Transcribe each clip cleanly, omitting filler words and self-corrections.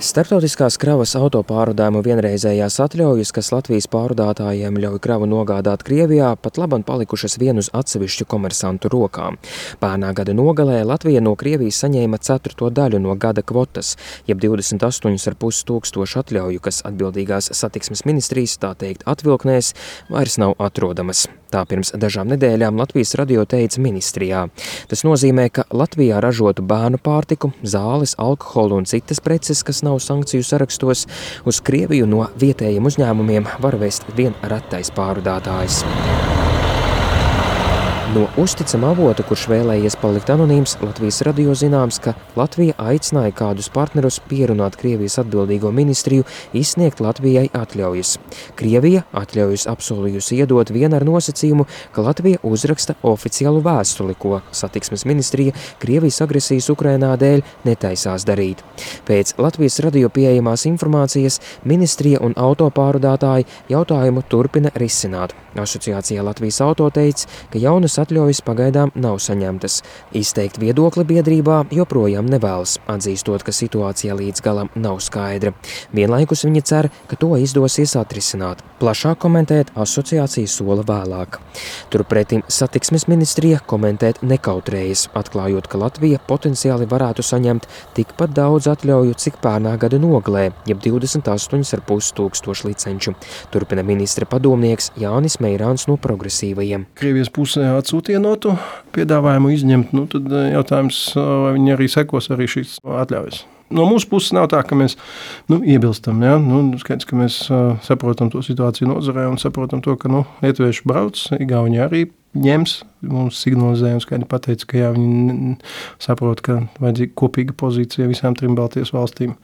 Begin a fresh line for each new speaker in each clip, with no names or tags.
Starptautiskās kravas autopārvadājumu vienreizējās atļaujas, kas Latvijas pārvadātājiem ļauj kravu nogādāt Krievijā, pat labam palikušas vien uz atsevišķu komersantu rokām. Pērnā gada nogalē Latvija no Krievijas saņēma 1/4 daļu no gada kvotas, jeb 28,5 tūkstošu atļauju, kas atbildīgās satiksmes ministrijas, tā teikt, atvilknēs, vairs nav atrodamas. Tā pirms dažām nedēļām Latvijas radio teica ministrijā. Tas nozīmē, ka Latvijā ražotu bērnu pārtiku, zāles, alkoholu un citas preces, kas nav sankciju sarakstos, uz Krieviju no vietējiem uzņēmumiem var vest vien retais pārvadātājs. No uzticama avota, kurš vēlējies palikt anonīms, Latvijas radio zināms, ka Latvija aicināja kādus partnerus pierunāt Krievijas atbildīgo ministriju izsniegt Latvijai atļaujas. Krievija atļaujas apsolījusi iedot vien ar nosacījumu, ka Latvija uzraksta oficiālu vēstuli, ko satiksmes ministrija Krievijas agresijas Ukrainā dēļ netaisās darīt. Pēc Latvijas radio pieejamās informācijas ministrija un autopārvadātāji jautājumu turpina risināt. Asociācijā Latvijas auto teica, ka jaunas atļaujas pagaidām nav saņemtas. Izteikt viedokli biedrībā joprojām nevēlas, atzīstot, ka situācija līdz galam nav skaidra. Vienlaikus viņi cer, ka to izdosies atrisināt. Plašāk komentēt asociācija sola vēlāk. Turpretim satiksmes ministrija komentēt nekautrējas, atklājot, ka Latvija potenciāli varētu saņemt tikpat daudz atļauju, cik pērnā gada nogalē, jeb 28,5 tūkstošu licenču. Turpina ministra padomnieks Jānis Meirāns no Progresīvajiem.
Krievijas pusē atsūtīja notu piedāvājumu izņemt, tad jautājums, vai viņi arī sekos arī šīs atļaujas. No mūsu puses nav tā, ka mēs iebilstam. Ja? Skaidrs, ka mēs saprotam to situāciju nozarē un saprotam to, ka lietuvieši brauc, Igauni arī ņems. Mums signalizējums, skaidri pateica, ka viņi saprot, ka vajadzīga kopīga pozīcija visām 3 Baltijas valstīm.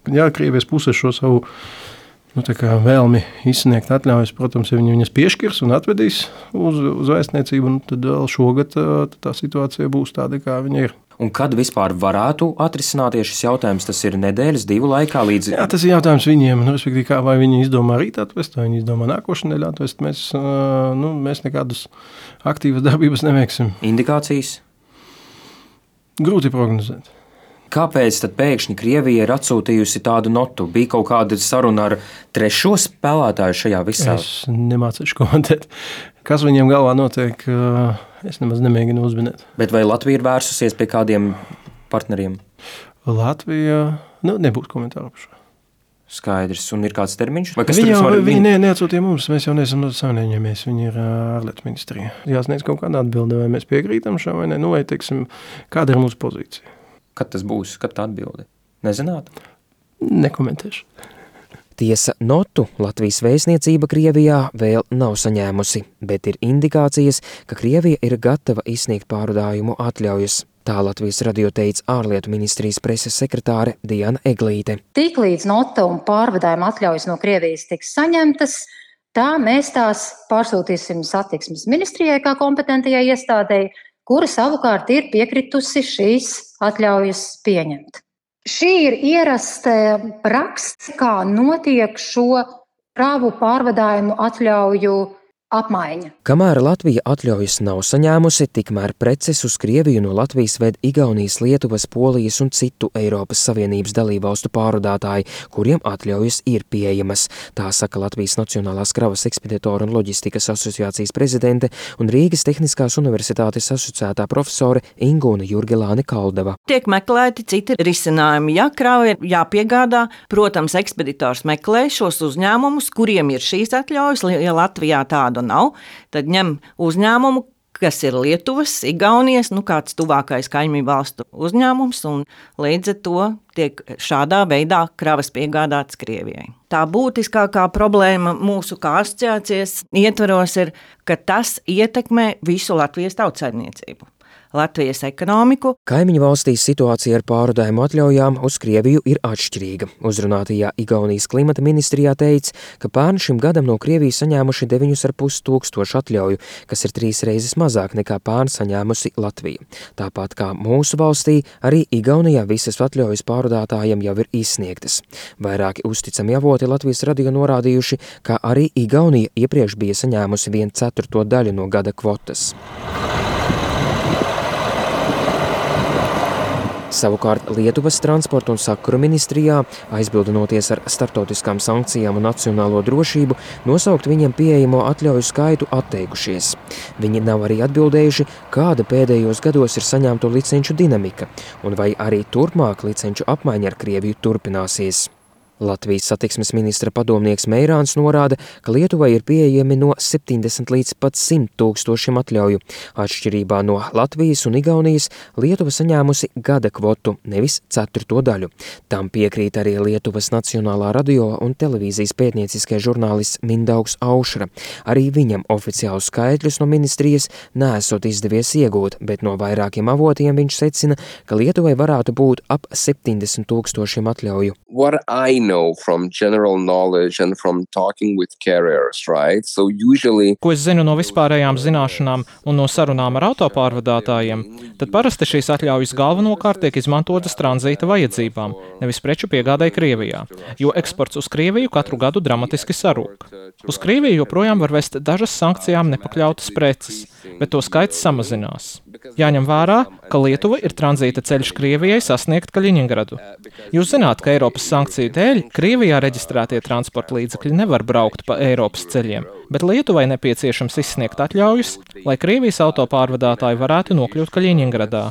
Jā, Krievijas puse šo savu vēlmi izsniegt atļaujas, protams, ja viņi viņas piešķirs un atvedīs uz vēstniecību, tad vēl šogad tā situācija būs tāda, kā viņa ir.
Un kad vispār varētu atrisināties šis jautājums? Tas ir nedēļas, 2 laikā līdz...
Jā, tas ir jautājums viņiem, respektīvi, kā vai viņi izdomā rīt atvest, vai viņi izdomā nākošu nedēļu atvest. Mēs nekādus aktīvas darbības neveiksim.
Indikācijas?
Grūti prognozēt.
Kāpēc tad pēkšņi Krievija ir atsūtījusi tādu notu? Bija kaut kāda saruna ar trešo spēlētāju šajā visā?
Es nemācīšu komentēt. Kas viņiem galvā notiek, es nemaz nemēģinu uzminēt.
Bet vai Latvija ir vērsusies pie kādiem partneriem?
Latvija, nebūs komentāru par šo.
Skaidrs. Un ir kāds termiņš?
Viņi neatsūtīja mums, mēs jau neesam savienojāmies, viņi ir ārlietu ministrija. Jāsniedz kaut kāda atbilde, vai mēs piekrītam šā vai ne, vai teiksim, kāda ir mūsu pozīcija.
Kad tas būs? Kad tā atbilde? Nezināt?
Nekomentēšu.
Tiesa, notu Latvijas vēstniecība Krievijā vēl nav saņēmusi, bet ir indikācijas, ka Krievija ir gatava izsniegt pārvadājumu atļaujas. Tā Latvijas radio teica ārlietu ministrijas preses sekretāre Diana Eglīte.
Tiklīdz nota un pārvadājuma atļaujas no Krievijas tiks saņemtas, tā mēs tās pārsūtīsim satiksmes ministrijai kā kompetentajai iestādēji, kura savukārt ir piekritusi šīs atļaujas pieņemt. Šī ir ierasta prakse, kā notiek šo kravu pārvadājumu atļauju apmaiņa.
Kamēr Latvija atļaujas nav saņēmusi, tikmēr preces uz Krieviju no Latvijas ved Igaunijas, Lietuvas, Polijas un citu Eiropas Savienības dalībvalstu pārvadātāji, kuriem atļaujas ir pieejamas. Tā saka Latvijas Nacionālās kravas ekspeditoru un loģistikas asociācijas prezidente un Rīgas Tehniskās universitātes asociētā profesore Ingūna Jurgelāne Kaldava.
Tiek meklēti citi risinājumi. Ja krava ir jāpiegādā, protams, ekspeditors meklē šos uzņēmumus, kuriem ir šīs atļaujas, ja Latvijā tādu nav, tad ņem uzņēmumu, kas ir Lietuvas, Igaunijas, kāds tuvākais kaimiņu valstu uzņēmums, un līdz ar to tiek šādā veidā kravas piegādātas Krievijai. Tā būtiskākā problēma mūsu kā asociācijas ietvaros ir, ka tas ietekmē visu Latvijas tautsaimniecību. Latvijas ekonomiku.
Kaimiņu valstīs situācija ar pārvadājumu atļaujām uz Krieviju ir atšķirīga. Uzrunātajā Igaunijas klimata ministrijā teica, ka pērn šim gadam no Krievijas saņēmuši 9,5 tūkstošu atļauju, kas ir 3 reizes mazāk nekā pērn saņēmusi Latvija. Tāpat kā mūsu valstī, arī Igaunijā visas atļaujas pārvadātājiem jau ir izsniegtas. Vairāki uzticami avoti Latvijas radio norādījuši, ka arī Igaunija iepriekš bija saņēmusi 1/4 daļu no gada kvotas. Savukārt Lietuvas transporta un sakaru ministrijā, aizbildinoties ar starptautiskām sankcijām un nacionālo drošību, nosaukt viņiem pieejamo atļauju skaitu atteikušies. Viņi nav arī atbildējuši, kāda pēdējos gados ir saņemto licenču dinamika, un vai arī turpmāk licenču apmaiņa ar Krieviju turpināsies. Latvijas satiksmes ministra padomnieks Meirāns norāda, ka Lietuvai ir pieejami no 70 līdz pat 100 tūkstošiem atļauju. Atšķirībā no Latvijas un Igaunijas Lietuva saņēmusi gada kvotu, nevis 4. daļu. Tam piekrīt arī Lietuvas Nacionālā radio un televīzijas pētnieciskais žurnālists Mindaugs Aušra. Arī viņam oficiālus skaitļus no ministrijas neesot izdevies iegūt, bet no vairākiem avotiem viņš secina, ka Lietuvai varētu būt ap 70 tūkstošiem atļauju.
Know from general knowledge and from talking with carriers, right? So usually...
Ko es zinu no vispārējām zināšanām un no sarunām ar autopārvadātājiem, tad parasti šīs atļaujas galvenokārt tiek izmantotas tranzīta vajadzībām, nevis preču piegādai Krievijā, jo eksports uz Krieviju katru gadu dramatiski sarūk. Uz Krieviju joprojām var vest dažas sankcijām nepakļautas preces, bet to skaits samazinās. Jāņem vērā, ka Lietuva ir tranzīta ceļš Krievijai sasniegt Kaļiņingradu. Jūs zināt, ka Eiropas sankciju dēļ Krievijā reģistrētie transporta līdzekļi nevar braukt pa Eiropas ceļiem, bet Lietuvai nepieciešams izsniegt atļaujas, lai Krievijas autopārvadātāji varētu nokļūt Kaļiņingradā.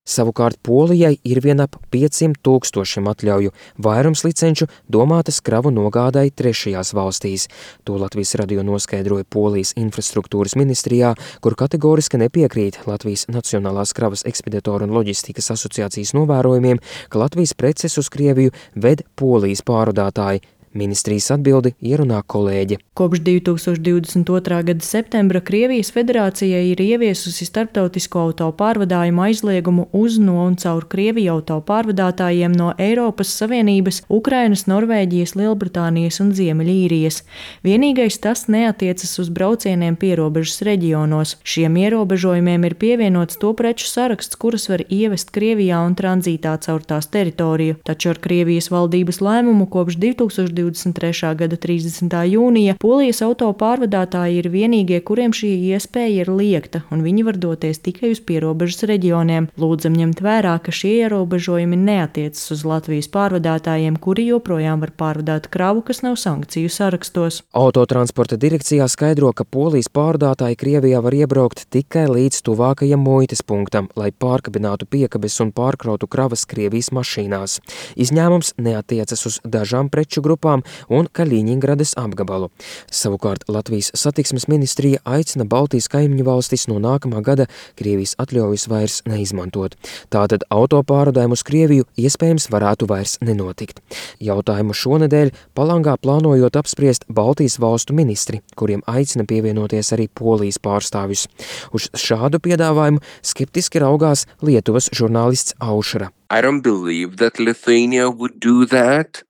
Savukārt Polijai ir vien ap 500 tūkstošiem atļauju, vairums licenču domātas kravu nogādai trešajās valstīs. To Latvijas radio noskaidroja Polijas infrastruktūras ministrijā, kur kategoriski nepiekrīt Latvijas Nacionālās kravas ekspeditoru un loģistikas asociācijas novērojumiem, ka Latvijas preces uz Krieviju ved Polijas pārvadātāji. Ministrijas atbildi ierunā kolēģe.
Kopš 2022. gada septembra Krievijas federācijai ir ieviesusi starptautisko autopārvadājumu aizliegumu uz, no un caur Krieviju autopārvadātājiem no Eiropas Savienības, Ukrainas, Norvēģijas, Lielbritānijas un Ziemeļīrijas. Vienīgais tas neatiecas uz braucieniem pierobežas reģionos. Šiem ierobežojumiem ir pievienots to preču saraksts, kuras var ievest Krievijā un tranzītā caur tās teritoriju. Taču ar Krievijas valdības lēmumu kopš 2023. gada 30. jūnija Polijas autopārvadātāji ir vienīgie, kuriem šī iespēja ir liekta, un viņi var doties tikai uz pierobežas reģioniem. Lūdzam ņemt vērā, ka šie ierobežojumi neatiecas uz Latvijas pārvadātājiem, kuri joprojām var pārvadāt kravu, kas nav sankciju sarakstos.
Autotransporta direkcijā skaidro, ka Polijas pārvadātāji Krievijā var iebraukt tikai līdz tuvākajam muitas punktam, lai pārkabinātu piekabes un pārkrautu kravas Krievijas mašīnās. Izņēmums neatiecas uz dažām preču grupām un Kaļiņingradas apgabalu. Savukārt Latvijas satiksmes ministrija aicina Baltijas kaimiņu valstis no nākamā gada Krievijas atļaujas vairs neizmantot. Tātad autopārvadājumu uz Krieviju iespējams varētu vairs nenotikt. Jautājumu šonedēļ Palangā plānojot apspriest Baltijas valstu ministri, kuriem aicina pievienoties arī Polijas pārstāvjus. Uz šādu piedāvājumu skeptiski raugās Lietuvas žurnālists Aušra.
I don't believe that Lithuania would do that.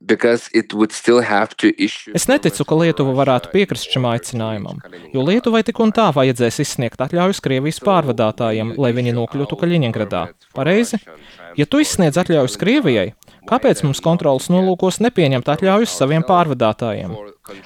Es neticu, ka Lietuva varētu piekrist šim aicinājumam, jo Lietuvai tik un tā vajadzēs izsniegt atļaujas Krievijas pārvadātājiem, lai viņi nokļūtu Kaļiņingradā. Pareizi? Ja tu izsniedz atļaujas Krievijai, kāpēc mums kontrolas nolūkos nepieņemt atļaujas saviem pārvadātājiem?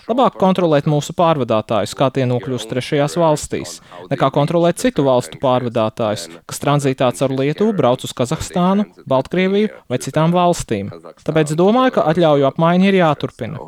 Labāk kontrolēt mūsu pārvadātājus, kā tie nokļūst trešajās valstīs, nekā kontrolēt citu valstu pārvadātājus, kas tranzītā caur Lietuvu brauc uz Kazahstānu, Baltkrieviju vai citām valstīm. Tāpēc domāju, ka atļauju apmaiņa ir jāturpina.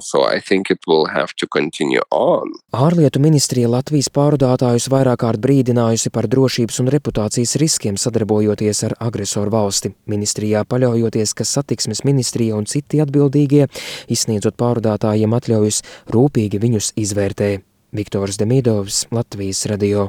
Ārlietu ministrija Latvijas pārvadātājus vairāk kārt brīdinājusi par drošības un reputācijas riskiem sadarbojoties ar agresoru valsti. Ministrijā paļaujoties, ka satiksmes ministrija un citi atbildīgie, izsniedzot pārvadātājiem atļaujas, rūpīgi viņus izvērtē. Viktors Demidovs, Latvijas radio.